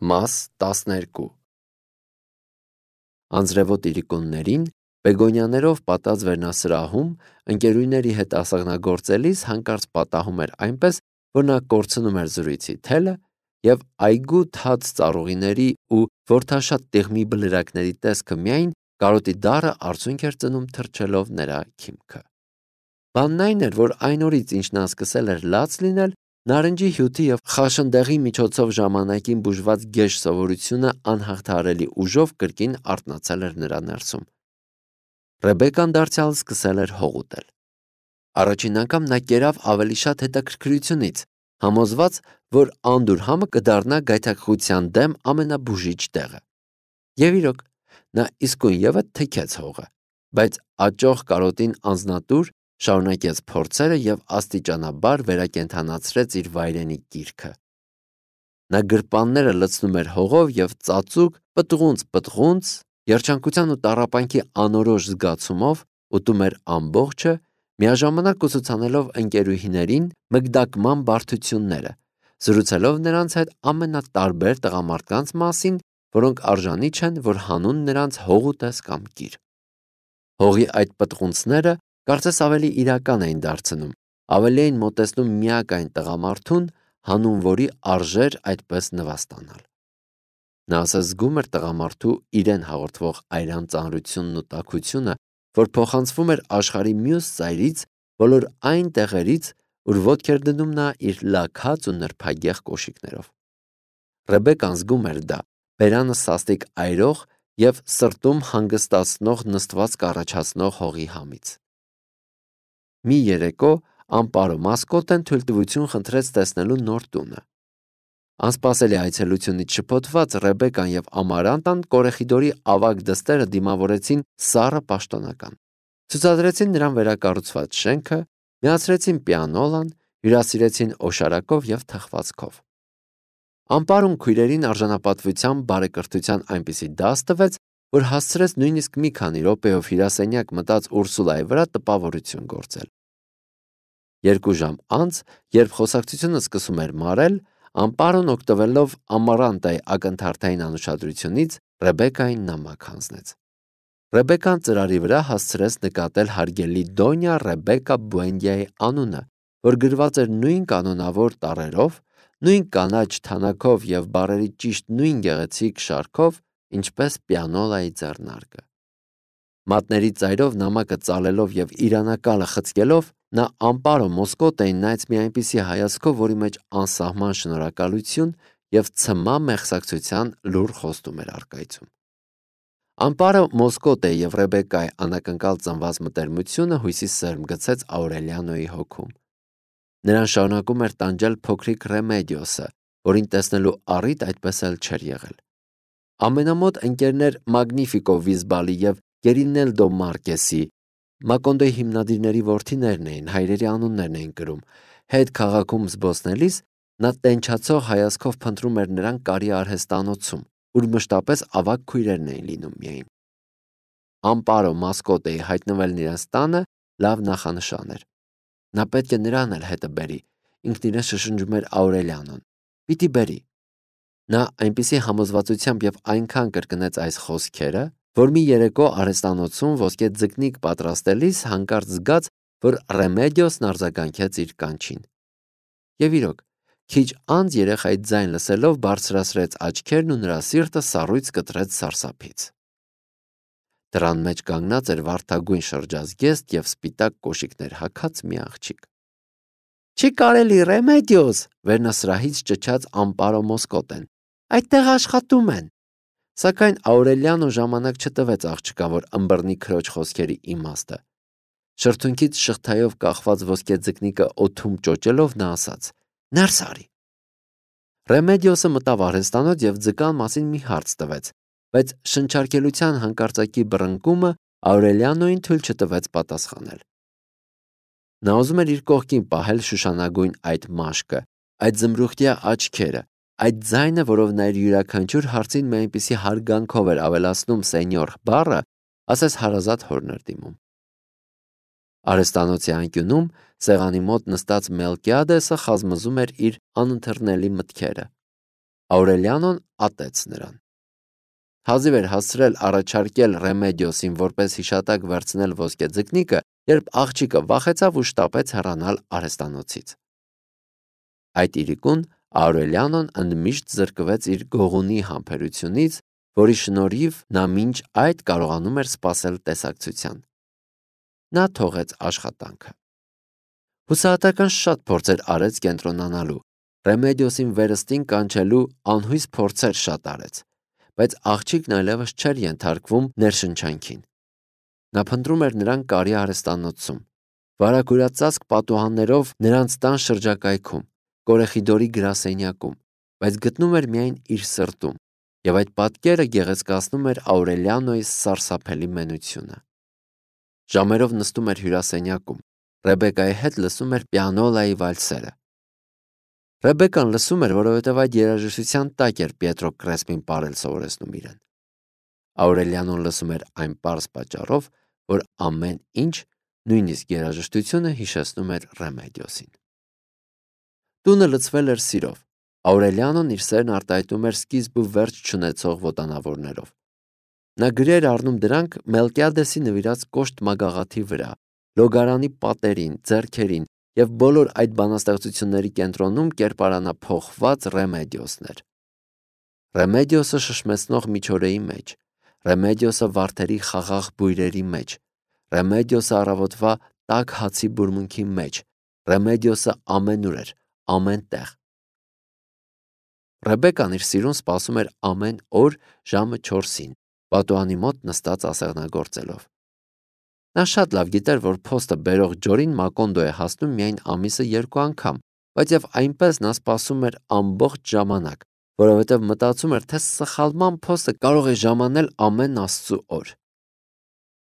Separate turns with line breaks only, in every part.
Մաս 12 Անձրևոտ իրիկուններին բեգոնյաներով պատած վերնասրահում ընկերուհիների հետ ասեղնագործելիս հանկարծ պատահում էր այնպես, որ նա կորցնում էր զրույցի թելը և այգու թաց ծառուղիների ու որդաշատ տիղմի բլրակների տեսքը միայն կարոտի դառը արցունք էր ծնում թռչելով նրա քիմքը։ Բանն այն էր, որ այն օրից, ինչ նա սկսել էր լաց լինել, նարնջի հյութի և խաշնդեղի միջոցով ժամանակին բուժված գեշ սովորությունը անհաղթահարելի ուժով կրկին արթնացել էր նրա ներսում։ Ռեբեկան դարձյալ սկսել էր հող ուտել։ Առաջին անգամ նա կերավ ավելի շատ հետաքրքրությունից, համոզված, որ անդուր համը կդառնա գայթակղության դեմ ամենաբուժիչ տեղը։ Եվ իրոք, նա իսկույնևեթ թքեց հողը, բայց աճող կարոտին անձնատուր շարունակեց փորձերը և աստիճանաբար վերակենդանացրեց իր վայրենի կիրքը։ Նա գրպանները լցնում էր հողով և ծածուկ, պտղունց, երջանկության ու տառապանքի անորոշ զգացումով ուտում էր ամբողջը, միաժամանակ ուսուցանելով ընկերուհիներին մգդակման բարդությունները, զրուցելով նրանց հետ ամենատարբեր տղամարդկանց մասին, որոնք արժանի չեն, որ հանուն նրանց հող ուտես կամ կիր։ Հողի այդ պտղունցները կարծես ավելի իրական էին դարձնում, ավելի էին մոտեցնում միակ այն տղամարդուն, հանուն որի արժեր այդպես նվաստանալ։ Նա ասես զգում էր տղամարդու իրեն հաղորդվող այրան ծանրությունն ու տաքությունը, որ փոխանցվում էր աշխարհի մյուս ծայրից, բոլոր այն տեղերից, ուր ոտք էր դնում նա իր լաքած ու նրբագեղ կոշիկներով։ Ռեբեկան զգում էր դա, բերանը սաստիկ այրող և սրտում հանգստացնող նստվածք առաջացնող հողի համից։ Մի երեկո Ամպարո մասկոտեն թույլտվություն խնդրեց տեսնելու նոր տունը։ Անսպասելի այցելությունից շփոթված Ռեբեկան և Ամարանտան Կորեխիդորի ավագ դստերը դիմավորեցին սառը պաշտոնական։ Ցուցադրեցին նրան վերակառուցված շենքը, միացրեցին պիանոլան, հյուրասիրեցին օշարակով և թխվածքով։ Ամպարոն քույրերին արժանապատվությամբ բարեկրթության այնպիսի դաս տվեց, որ հասցրեց նույնիսկ մի քանի րոպեով հյուրասենյակ մտած Ուրսուլայի վրա տպավորություն գործել։ 2 ժամ անց, երբ խոսակցությունը սկսում էր մարել, Ամպարոն օգտվելով Ամարանտայի ակնթարթային անուշադրությունից Ռեբեկային նամակ հանձնեց։ Ռեբեկան ծրարի վրա հասցրեց նկատել հարգելի Դոնյա Ռեբեկա Բուենդիայի անունը, որ գրված էր նույն կանոնավոր տառերով, նույն կանաչ թանաքով և բառերի ճիշտ նույն գեղեցիկ շարքով, ինչպես պիանոլայի ձեռնարկը։ Մատների ծայրով նամակը ծալելով և իրանակալը խցկելով, նա Ամպարո Մոսկոտեին նայեց մի այնպիսի հայացքով, որի մեջ անսահման շնորհակալություն և ցմահ մեղսակցության լուռ խոստում էր առկայծում։ Ամպարո Մոսկոտեի և Ռեբեկայի անակնկալ ծնված մտերմությունը հույսի սերմ գցեց Աուրելիանոյի հոգում։ Նրան շարունակում էր տանջել փոքրիկ Ռեմեդիոսը, որին տեսնելու առիթ այդպես էլ չէր եղել։ Ամենամոտ ընկերներ Մագնիֆիկո Վիզբալի և Գերինելդո Մարկեսի, Մակոնդոյի հիմնադիրների որդիներն էին, հայրերի անուններն էին կրում, հետ քաղաքում զբոսնելիս նա տենչացող հայացքով փնտրում էր նրան կարի արհեստանոցում, ուր մշտապես ավագ քույրերն էին լինում միայն։ Ամպարո Մասկոտեի հայտնվելն իրենց տանը լավ նախանշան էր։ Նա պետք է նրան էլ հետը բերի, ինքն իրեն շշնջում էր Աուրելիանոն։ Պիտի բերի։ Նա այնպիսի համոզվածությամբ և այնքան կրկնեց այս խոսքերը, որ մի երեկո արհեստանոցում ոսկե ձկնիկ պատրաստելիս հանկարծ զգաց, որ Ռեմեդիոսն արձագանքեց իր կանչին։ Եվ իրոք, քիչ անց երեխայի ձայն լսելով բարձրացրեց աչքերն ու նրա սիրտը սառույց կտրեց սարսափից։ Դռան մեջ կանգնած էր վարդագույն շրջազգեստ և սպիտակ կոշիկներ հագած մի աղջիկ։ «Չի կարելի, Ռեմեդիոս», վերնասրահից ճչաց Ամպարո Մոսկոտեն, «այդտեղ աշխատում են»։ Սակայն Աուրելիանո ժամանակ չտվեց աղջկան, որ ըմբռնի քրոջ խոսքերի իմաստը։ Շրթունքից շղթայով կախված ոսկե ձկնիկը օդում ճոճելով նա ասաց. «Ներս արի»։ Ռեմեդիոսը մտավ արհեստանոց և ձկան մասին մի հարց տվեց, բայց շնչառքելության հանկարծակի բռնկումը Աուրելիանոյին թույլ չտվեց պատասխանել։ Նա ուզում էր իր կողքին պահել շուշանագույն այդ մաշկը, այդ զմրուխտյա աչքերը, այդ ձայնը, որով նա իր յուրաքանչյուր հարցին մի այնպիսի հարգանքով էր ավելացնում սենյոր բառը, ասես հարազատ հորն էր դիմում։ Արհեստանոցի անկյունում սեղանի մոտ նստած Մելկիադեսը խազմզում էր իր անընթեռնելի մտքերը։ Աուրելիանոն ատեց նրան։ Հազիվ էր հասցրել առաջարկել Ռեմեդիոսին որպես հիշատակ վերցնել ոսկե ձկնիկը, երբ աղջիկը վախեցավ ու շտապեց հեռանալ արհեստանոցից։ Այդ իրիկուն Աուրելիանոն ընդմիշտ զրկվեց իր գողունի համբերությունից, որի շնորհիվ նա մինչ այդ կարողանում էր սպասել տեսակցության։ Նա թողեց աշխատանքը։ Հուսահատական շատ փորձեր արեց կենտրոնանալու, Ռեմեդիոսին վերստին կանչելու անհույս փորձեր շատ արեց, բայց աղջիկն այլևս չէր ենթարկվում ներշնչանքին։ Նա փնտրում էր նրան կարի արհեստանոցում, վարագուրածածկ պատուհաններով նրանց տան շրջակայքում, Կորեխիդորի գրասենյակում, բայց գտնում էր միայն իր սրտում, եւ այդ պատկերը գեղեցկացնում էր Աուրելիանոյի սարսափելի մենությունը։ Ժամերով նստում էր հյուրասենյակում, Ռեբեկայի հետ լսում էր պիանոլայի վալսերը։ Ռեբեկան լսում էր, որովհետև այդ երաժշտության տակ էր Պիետրո Կրեսպին պարել սովորեցնում իրեն։ Աուրելիանոն լսում էր այն պարզ պատճառով, որ ամեն ինչ, նույնիսկ երաժշտությունը հիշեցնում էր Ռեմեդիոսին։ Տունը լցվել էր սիրով։ Աուրելիանոն իր սերն արտահայտում էր սկիզբ ու վերջ չունեցող ոտանավորներով։ Նա գրի էր առնում դրանք Մելկիադեսի նվիրած կոշտ մագաղաթի վրա, լոգարանի պատերին, ձեռքերին և բոլոր այդ բանաստեղծությունների կենտրոնում կերպարանափոխված Ռեմեդիոսն էր։ Ռեմեդիոսը շշմեցնող միջօրեի մեջ, Ռեմեդիոսը վարդերի խաղաղ բույրերի մեջ, Ռեմեդիոսը առավոտվա տաք հացի բուրմունքի մեջ, Ռեմեդիոսը ամենուր էր, ամեն տեղ։ Ռեբեկան իր սիրուն սպասում էր ամեն օր ժամը 4-ին, պատուհանի մոտ նստած ասեղնագործելով։ Նա շատ լավ գիտեր, որ փոստը բերող Ջորին Մակոնդո է հասնում միայն ամիսը 2 անգամ, բայց եւ այնպես նա սպասում էր ամբողջ ժամանակ, որովհետեւ մտածում էր, թե սխալման փոստը կարող է ժամանել ամեն Աստծու օր։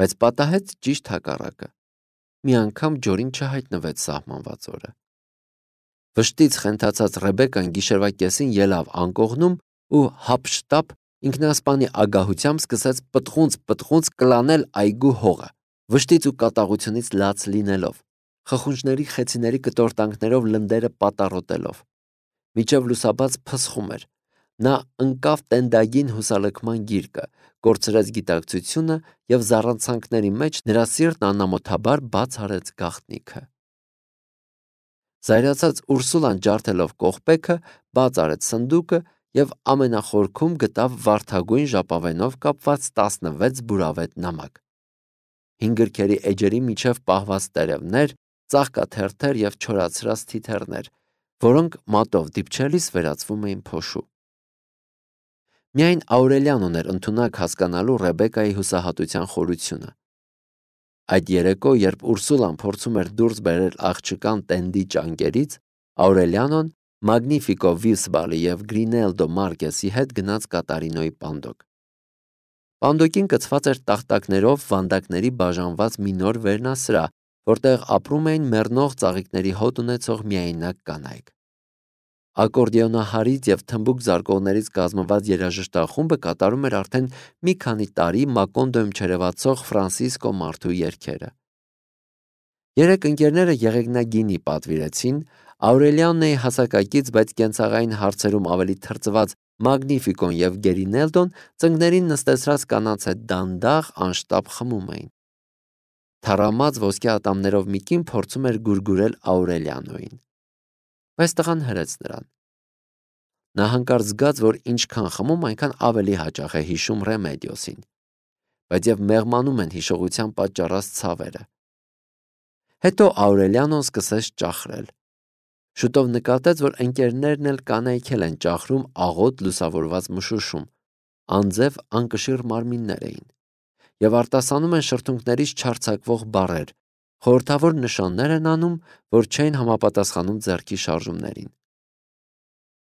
Բայց պատահեց ճիշտ հակառակը։ Մի անգամ Ջորին չհայտնվեց սահմանված օրը։ Վշտից խենթացած Ռեբեկան գիշերվա կեսին ելավ անկողնում ու հափշտապ ինքնասպանի ագահությամբ սկսեց պտղունց կլանել այգու հողը, վշտից ու կատաղությունից լաց լինելով, խխունջների խեցիների կտորտանքներով լնդերը պատառոտելով։ Մինչև լուսաբաց փսխում էր։ Նա ընկավ տենդագին հուսալքման գիրկը, կորցրեց գիտակցությունը և զառանցանքների մեջ նրա սիրտն անամոթաբար բաց արեց գաղտնիքը։ Զայրացած Ուրսուլան ջարդելով կողպեքը, բաց արեց սնդուկը և ամենախորքում գտավ վարդագույն ժապավենով կապված 16 բուրավետ նամակ։ 5 գրքերի էջերի միջև պահված տերևներ, ծաղկաթերթեր և չորացրած թիթեռներ, որոնք մատով դիպչելիս վերածվում էին փոշու։ Միայն Աուրելիանոն էր ընդունակ հասկանալու Ռեբեկայի հուսահատության խորությունը։ Այդ երեկո, երբ Ուրսուլան փորձում էր դուրս բերել աղջկան տենդի ճանկերից, Աուրելիանոն Մագնիֆիկո Վիսբալի և Գրինելդո Մարկեսի հետ գնաց Կատարինոյի պանդոկ։ Պանդոկին կցված էր տախտակներով վանդակների բաժանված մի նոր վերնասրահ, որտեղ ապրում էին մեռնող ծաղիկների հոտ ունեցող միայնակ կանայք։ Ակորդեոնահարից և թմբուկ զարկողներից կազմված երաժշտախումբը կատարում էր արդեն մի քանի տարի Մակոնդոյում չերևացող Ֆրանսիսկո Մարթու երգերը։ 3 ընկերները եղեգնագինի պատվիրեցին, Աուրելիանոյի հասակակից, բայց կենցաղային հարցերում ավելի թրծված Մագնիֆիկոն և Գերինելդոն ծնկներին նստեցրած կանանց հետ դանդաղ անշտապ խմում էին։ Թառամած ոսկե ատամներով մի կին փորձում էր գուրգուրել Աուրելիանոյին, բայց տղան հրեց նրան։ Նա հանկարծ զգաց, որ ինչքան խմում, այնքան ավելի հաճախ է հիշում Ռեմեդիոսին, բայց և մեղմանում են հիշողության պատճառած ցավերը։ Հետո Աուրելիանոն սկսեց ճախրել։ Շուտով նկատեց, որ ընկերներն էլ կանայքել են ճախրում աղոտ լուսավորված մշուշում, անձև անկշիռ մարմիններ էին, և արտասանում են շրթունքներից չարձակվող բառեր, խորհրդավոր նշաններ են անում, որ չէին համապատասխանում ձեռքի շարժումներին։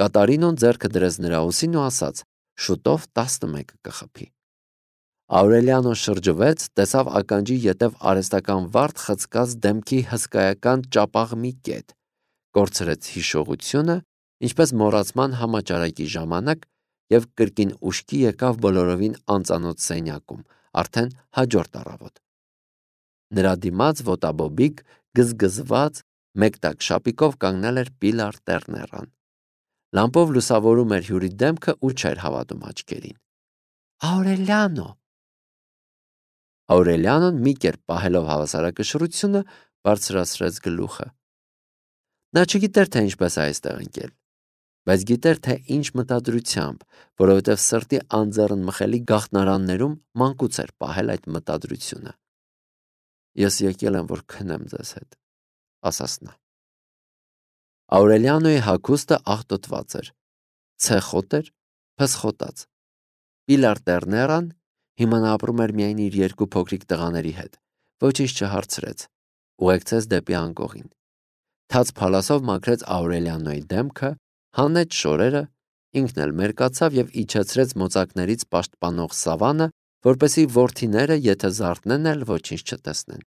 Կատարինոն ձեռքը դրեց նրա ուսին ու ասաց. շուտով 11 կխփի։ Աուրելիանոն շրջվեց, տեսավ ականջի ետև արհեստական վարդ խցկած դեմքի հսկայական ճապաղ մի կետ, կորցրեց հիշողությունը, ինչպես մոռացման համաճարակի ժամանակ, և կրկին ուշքի եկավ բոլորովին անծանոթ սենյակում, արդեն հաջորդ առավոտ։ Նրա դիմաց ոտաբոբիկ, գզգզված, մեկ տակ շապիկով կանգնել էր Պիլար Տերներան։ Լամպով լուսավորում էր հյուրի դեմքը ու չէր հավատում աչքերին։ Աուրելիանո։ Աուրելիանոն մի կերպ պահելով հավասարակշռությունը բարձրացրեց գլուխը։ Նա չգիտեր, թե ինչպես է այստեղ ընկել, բայց գիտեր, թե ինչ մտադրությամբ, որովհետև սրտի անձեռն մխելի գաղտնարաններում մանկուց էր պահել այդ մտադրությունը։ Ես եկել եմ, որ քնեմ ձեզ հետ, ասաց նա։ Աուրելիանոյի հագուստը աղտոտված էր, ցեխոտ էր, փսխոտած։ Պիլար Տերներան հիմա նա ապրում էր միայն իր երկու փոքրիկ տղաների հետ, ոչինչ չհարցրեց, ուղեկցեց դեպի անկողին։ Թաց փալասով մաքրեց Աուրելիանոյի դեմքը, հանեց շորերը, ինքն էլ մերկացավ եւ իջեցրեց մոծակներից պաշտպանող սավանը, որպեսի որդիները, եթե զարթնեն էլ, ոչինչ չտեսնեն։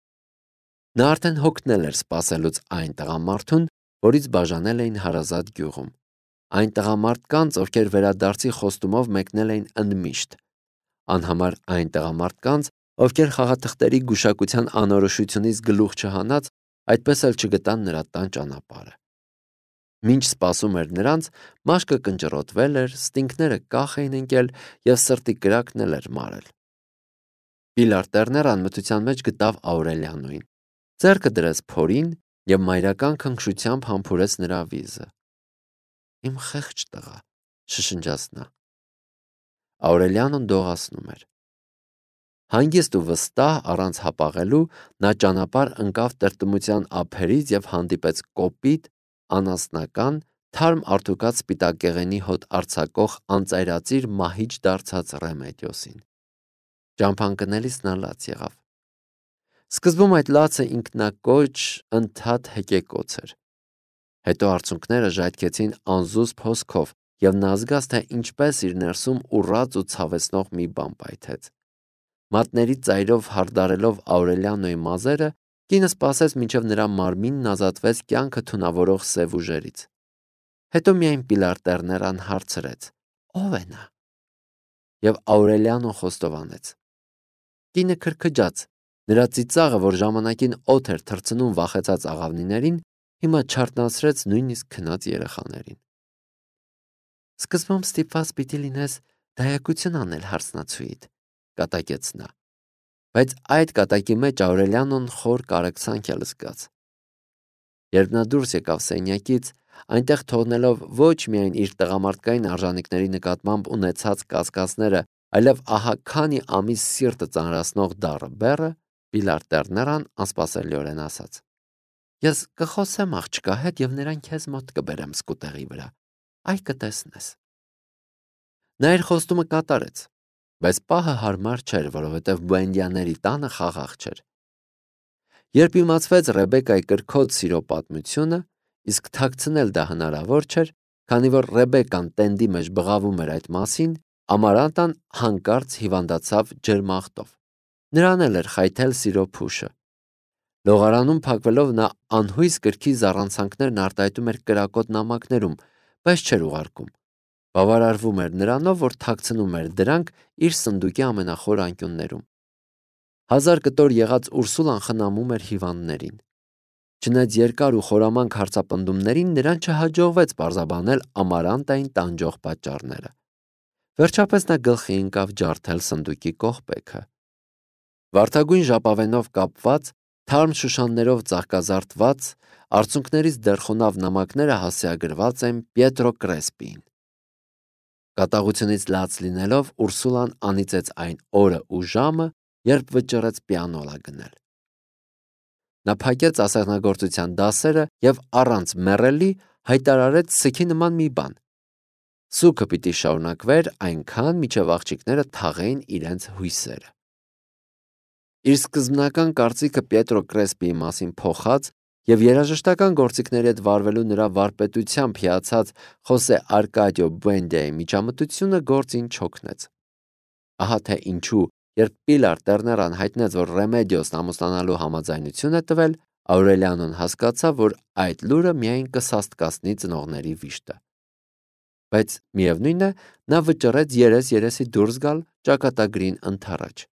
Նա արդեն հոգնել էր սպասելուց այն տղամարդուն, որից բաժանել էին հարազատ գյուղում։ Այն տղամարդկանց, ովքեր վերադարձի խոստումով մեկնել էին ընդմիշտ, անհամար այն տղամարդկանց, ովքեր խաղաթղթերի գուշակության անորոշությունից գլուխ չհանած, այդպես էլ չգտան նրա տան ճանապարհը։ Մինչ սպասում էր նրանց, մաշկը կնճռոտվել էր, ստինքները կախ էին ընկել եւ սրտի կրակն էլ էր մարել։ Պիլար Տերներան մթության մեջ գտավ Աուրելիանոին, ձեռքը դրեց փորին եւ մայրական քնքշությամբ համբուրեց նրա վիզը։ Իմ խեղճ տղա, շշնջաց նա։ Աուրելիանոն դողացնում էր։ Հանգիստ ու վստահ առանց հապաղելու նա ճանապարհ ընկավ տրտմության ափերից եւ հանդիպեց կոպիտ, անասնական, թարմ արթուկած սպիտակեղենի հոտ արձակող անծայրածիր մահիճ դարձած Ռեմեդիոսին։ Ճամփան կնելիս նա լաց եղավ։ Սկզբում այդ լացը ինքնակոչ, ընդհատ հեկեկոց էր։ Հետո արցունքները ժայթքեցին անզուսպ հոսքով եւ նա զգաց, թե ինչպես իր ներսում ուռած ու ցավեցնող մի բան պայթեց։ Մատների ծայրով հարդարելով Աուրելիանոյի մազերը, կինը սպասեց, մինչև նրա մարմինն ազատվեց կյանքը թունավորող սև ուժերից։ Հետո միայն Պիլար Տերներան հարցրեց. «Ո՞վ է նա»։ Եվ Աուրելիանոն խոստովանեց։ Կինը քրքջաց, նրա ծիծաղը, որ ժամանակին օդ էր թռցնում վախեցած աղավնիներին, հիմա չարտնացրեց նույնիսկ քնած երեխաներին։ Սկզբում ստիպված պիտի լինես դայակություն անել հարսնացուիդ, կատակեց նա։ Բայց այդ կատակի մեջ Աուրելիանոն խոր կարեկցանք էլ զգաց։ Երբ նա դուրս եկավ սենյակից, այնտեղ թողնելով ոչ միայն իր տղամարդկային արժանինքների նկատմամբ ունեցած կասկածները, այլև ահա քանի ամիս սիրտը ծանրացնող դառը բեռը, Պիլար Տերներան անսպասելիորեն ասաց. Ես կխոսեմ աղջկա հետ եւ նրան քեզ մոտ կբերեմ սկուտեղի վրա։ Այ կտեսնես։ Նա իր խոստումը կատարեց, բայց պահը հարմար չէր, որովհետև Բուենդիաների տանը խաղաղ չէր։ Երբ իմացվեց Ռեբեկայի կրքոտ սիրո պատմությունը, իսկ թաքցնել դա հնարավոր չէր, քանի որ Ռեբեկան տենդի մեջ բղավում էր այդ մասին, Ամարանտան հանկարծ հիվանդացավ ջերմախտով։ Նրան էլ էր խայթել սիրո փուշը։ Լողարանում փակվելով նա անհույս կրքի զառանցանքներն արտահայտում էր կրակոտ նամակներում, բայց չէր ուղարկում։ Բավարարվում էր նրանով, որ թաքցնում էր դրանք իր սնդուկի ամենախոր անկյուններում։ 1000 կտոր եղած Ուրսուլան խնամում էր հիվանդներին։ Չնայած երկար ու խորամանկ հարցապնդումներին նրան չհաջողվեց պարզաբանել Ամարանտային տանջող պատճառները։ Վերջապես նա գլխի ընկավ ջարդել սնդուկի կողպեքը։ Վարդագույն ժապավենով կապված, թարմ շուշաններով ծաղկազարդված, արցունքներից դեռ նամակները հասցեագրված են Պիետրո Կրեսպիին։ Կատաղությունից լաց լինելով Ուրսուլան անիծեց այն օրը ու ժամը, երբ վճռեց պիանոլա գնել։ Նա փակեց ասեղնագործության դասերը եւ առանց մեռելի հայտարարեց սգի նման մի բան։ Սուգը պիտի շարունակվեր այնքան, մինչև աղջիկները թաղեին իրենց հույսերը։ Իր սկզբնական կարծիքը Պիետրո Կրեսպիի մասին փոխած եւ երաժշտական գործիքների հետ վարվելու նրա վարպետությամբ հիացած Խոսե Արկադիո Բուենդիայի միջամտությունը գործին չօգնեց։ Ահա թե ինչու, երբ Պիլար Տերներան հայտնեց, որ Ռեմեդիոսն ամուսնանալու համաձայնություն է տվել, Աուրելիանոն հասկացավ, որ այդ լուրը միայն կսաստկացնի ծնողների վիշտը։ Բայց միևնույն է, նա վճռեց երես-երեսի դուրս գալ ճակատագրին ընդառաջ։